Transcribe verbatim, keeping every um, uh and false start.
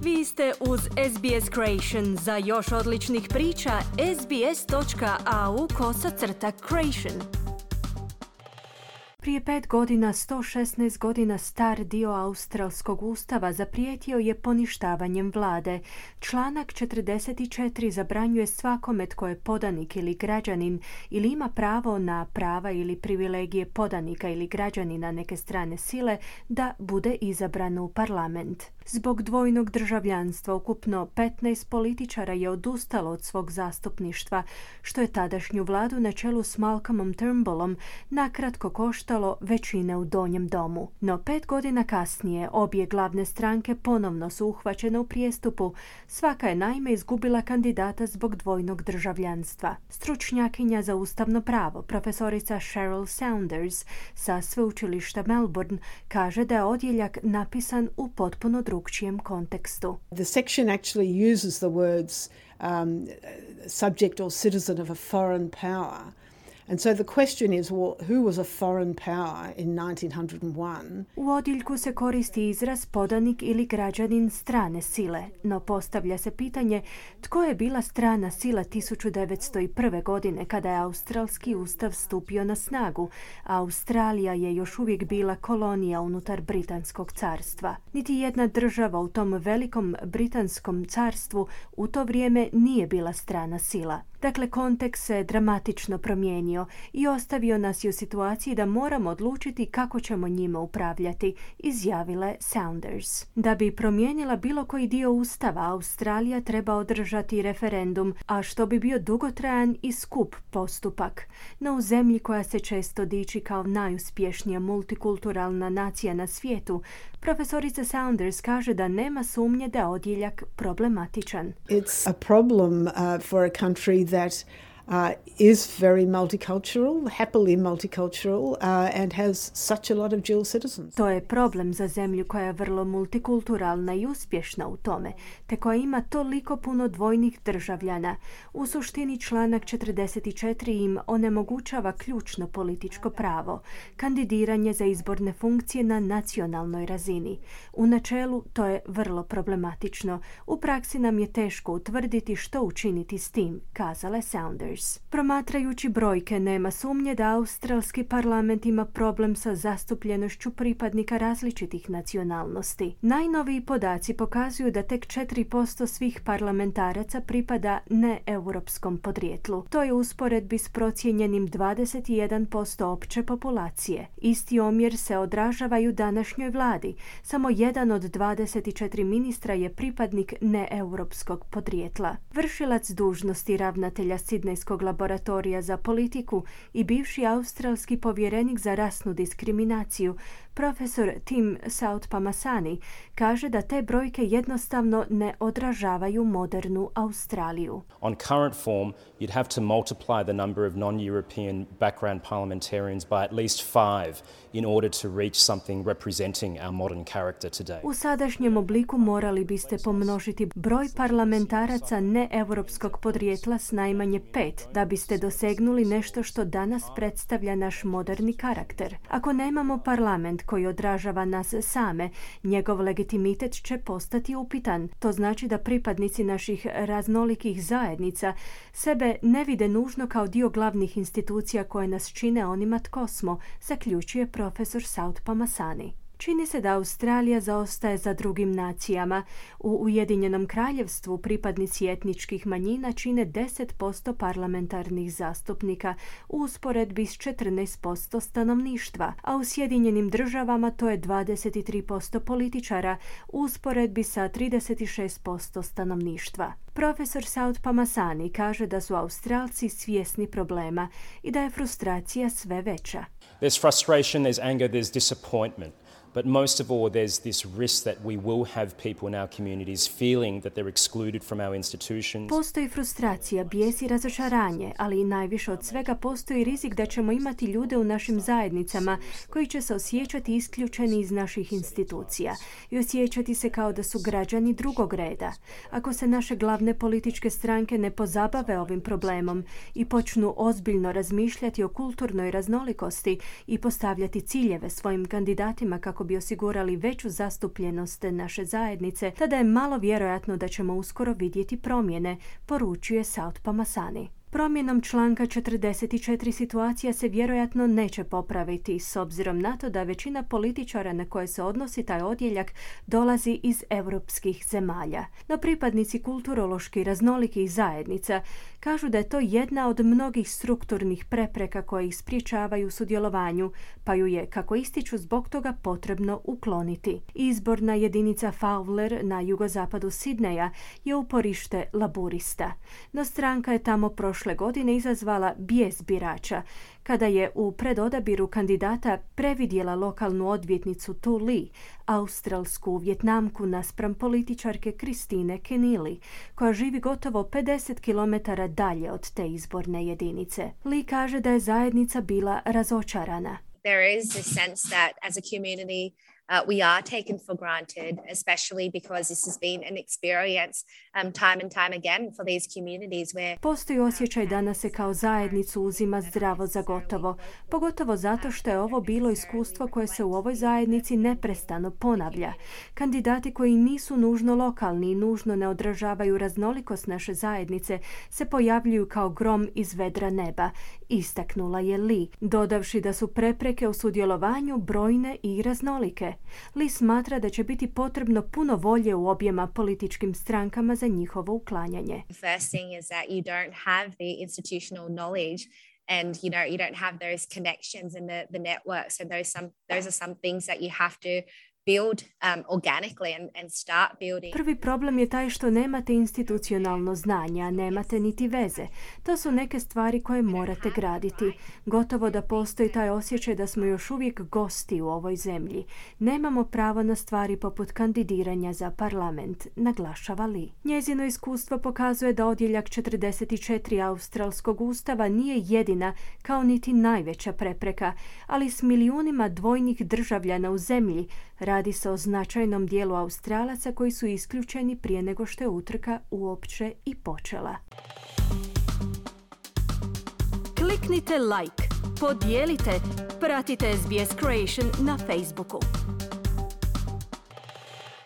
Vi ste uz S B S Creation. Za još odličnih priča, sbs.au kosacrta creation. Prije pet godina, sto šesnaest godina star dio australskog ustava zaprijetio je poništavanjem vlade. Članak četrdeset četiri zabranjuje svakome tko je podanik ili građanin ili ima pravo na prava ili privilegije podanika ili građanina neke strane sile da bude izabran u parlament. Zbog dvojnog državljanstva ukupno petnaest političara je odustalo od svog zastupništva, što je tadašnju vladu na čelu s Malcolmom Turnbullom nakratko koštalo većine u donjem domu. No pet godina kasnije obje glavne stranke ponovno su uhvaćene u prijestupu. Svaka je naime izgubila kandidata zbog dvojnog državljanstva. Stručnjakinja za ustavno pravo, profesorica Cheryl Saunders sa sveučilišta Melbourne, kaže da je odjeljak napisan u potpuno drugčijem kontekstu. The section actually uses the words um, subject or citizen of a foreign power. And so the question is, well, who was a foreign power in nineteen oh one? U odjeljku se koristi izraz podanik ili građanin strane sile, no postavlja se pitanje tko je bila strana sila tisuću devetsto prve. godine kada je australski ustav stupio na snagu, a Australija je još uvijek bila kolonija unutar Britanskog carstva. Niti jedna država u tom velikom Britanskom carstvu u to vrijeme nije bila strana sila. Dakle, kontekst se dramatično promijenio i ostavio nas je u situaciji da moramo odlučiti kako ćemo njima upravljati, izjavila je Saunders. Da bi promijenila bilo koji dio ustava, Australija treba održati referendum, a što bi bio dugotrajan i skup postupak. No u zemlji koja se često diči kao najuspješnija multikulturalna nacija na svijetu, profesorica Saunders kaže da nema sumnje da je odjeljak problematičan. It's a problem uh, for a country that uh, is very multicultural, happily multicultural, uh, and has such a lot of dual citizens. To je problem za zemlju koja je vrlo multikulturalna i uspješna u tome, te koja ima toliko puno dvojnih državljana. U suštini članak četrdeset četiri im onemogućava ključno političko pravo, kandidiranje za izborne funkcije na nacionalnoj razini. U načelu to je vrlo problematično. U praksi nam je teško utvrditi što učiniti s tim, kazala je Saunders. Promatrajući brojke, nema sumnje da australski parlament ima problem sa zastupljenošću pripadnika različitih nacionalnosti. Najnoviji podaci pokazuju da tek četiri posto svih parlamentaraca pripada neeuropskom podrijetlu. To je u usporedbi s procijenjenim dvadeset jedan posto opće populacije. Isti omjer se odražava i u današnjoj vladi. Samo jedan od dvadeset četiri ministra je pripadnik neeuropskog podrijetla. Vršilac dužnosti ravnatelja Sidnejskog laboratorija za politiku i bivši australski povjerenik za rasnu diskriminaciju, profesor Tim Soutphommasane, kaže da te brojke jednostavno ne odražavaju modernu Australiju. On current form, you'd have to multiply the number of non-European background parliamentarians by at least five in order to reach something representing our modern character today. U sadašnjem obliku morali biste pomnožiti broj parlamentaraca neeuropskog podrijetla s najmanje pet da biste dosegnuli nešto što danas predstavlja naš moderni karakter. Ako nemamo parlament koji odražava nas same, njegov legitimitet će postati upitan. To znači da pripadnici naših raznolikih zajednica sebe ne vide nužno kao dio glavnih institucija koje nas čine onima tko smo, zaključuje profesor Soutphommasane. Čini se da Australija zaostaje za drugim nacijama. U Ujedinjenom kraljevstvu pripadnici etničkih manjina čine deset posto parlamentarnih zastupnika u usporedbi s četrnaest posto stanovništva, a u Sjedinjenim državama to je dvadeset tri posto političara u usporedbi sa trideset šest posto stanovništva. Profesor Soutphommasane kaže da su Australci svjesni problema i da je frustracija sve veća. There's frustration, there's anger, there's disappointment. But most of all, there's this risk that we will have people in our communities feeling that they're excluded from our institutions. Postoji frustracija, bijes i razočaranje, ali i najviše od svega postoji rizik da ćemo imati ljude u našim zajednicama koji će se osjećati isključeni iz naših institucija i osjećati se kao da su građani drugog reda. Ako se naše glavne političke stranke ne pozabave ovim problemom i počnu ozbiljno razmišljati o kulturnoj raznolikosti i postavljati ciljeve svojim kandidatima kako kako bi osigurali veću zastupljenost naše zajednice, tada je malo vjerojatno da ćemo uskoro vidjeti promjene, poručuje South Pamasani. Promjenom članka četrdeset četiri situacija se vjerojatno neće popraviti s obzirom na to da većina političara na koje se odnosi taj odjeljak dolazi iz europskih zemalja. No pripadnici kulturološki raznolikih zajednica kažu da je to jedna od mnogih strukturnih prepreka koje ih spriječavaju u sudjelovanju, pa ju je, kako ističu, zbog toga potrebno ukloniti. Izborna jedinica Fowler na jugozapadu Sidneja je uporište laburista, no stranka je tamo prošle prošle godine izazvala bijes birača kada je u predodabiru kandidata previdjela lokalnu odvjetnicu Tu Lee, australsku Vjetnamku naspram političarke Kristine Kenili, koja živi gotovo pedeset kilometara dalje od te izborne jedinice. Lee kaže da je zajednica bila razočarana. There is a sense that as a community Uh, we are taken for granted, especially because this has been an experience um, time and time again for these communities where... Postoji osjećaj da nas se kao zajednicu uzima zdravo za gotovo, pogotovo zato što je ovo bilo iskustvo koje se u ovoj zajednici neprestano ponavlja. Kandidati koji nisu nužno lokalni i nužno ne odražavaju raznolikost naše zajednice se pojavljuju kao grom iz vedra neba, istaknula je Lee, dodavši da su prepreke u sudjelovanju brojne i raznolike. Lee smatra da će biti potrebno puno volje u objema političkim strankama za njihovo uklanjanje. First thing is that you don't have the institutional knowledge and you know you don't have those connections and the, the networks and those some those are some things that you have to build um, organically and, and start building. Prvi problem je taj što nemate institucionalno znanje, a nemate niti veze. To su neke stvari koje morate graditi. Gotovo da postoji taj osjećaj da smo još uvijek gosti u ovoj zemlji. Nemamo pravo na stvari poput kandidiranja za parlament, naglašava Lee. Njezino iskustvo pokazuje da odjeljak četrdeset četiri australskog ustava nije jedina, kao niti najveća prepreka, ali s milijunima dvojnih državljana u zemlji radi se o značajnom dijelu Australaca koji su isključeni prije nego što je utrka uopće i počela. Kliknite like, podijelite, pratite S B S Creation na Facebooku.